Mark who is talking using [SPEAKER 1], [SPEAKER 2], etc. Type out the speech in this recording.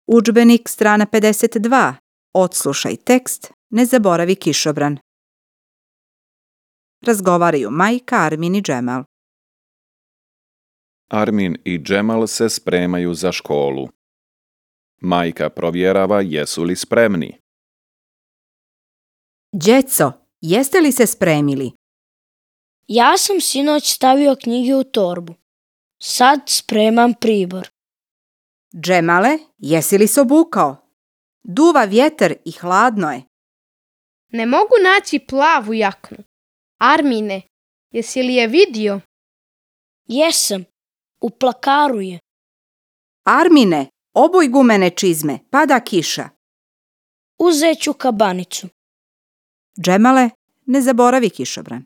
[SPEAKER 1] Udžbenik, strana 52. Odslušaj tekst, ne zaboravi kišobran. Razgovaraju majka, Armin i Džemal.
[SPEAKER 2] Armin i Džemal se spremaju za školu. Majka provjerava jesu li spremni.
[SPEAKER 1] Djeco, jeste li se spremili?
[SPEAKER 3] Ja sam sinoć stavio knjige u torbu. Sad spremam pribor.
[SPEAKER 1] Džemale, jesi li se obukao? Duva vjetar i hladno je.
[SPEAKER 4] Ne mogu naći plavu jaknu. Armine, jesi li je vidio?
[SPEAKER 3] Jesam, u plakaru je.
[SPEAKER 1] Armine, obuj gumene čizme, pada kiša.
[SPEAKER 3] Uzet ću kabanicu.
[SPEAKER 1] Džemale, ne zaboravi kišobran.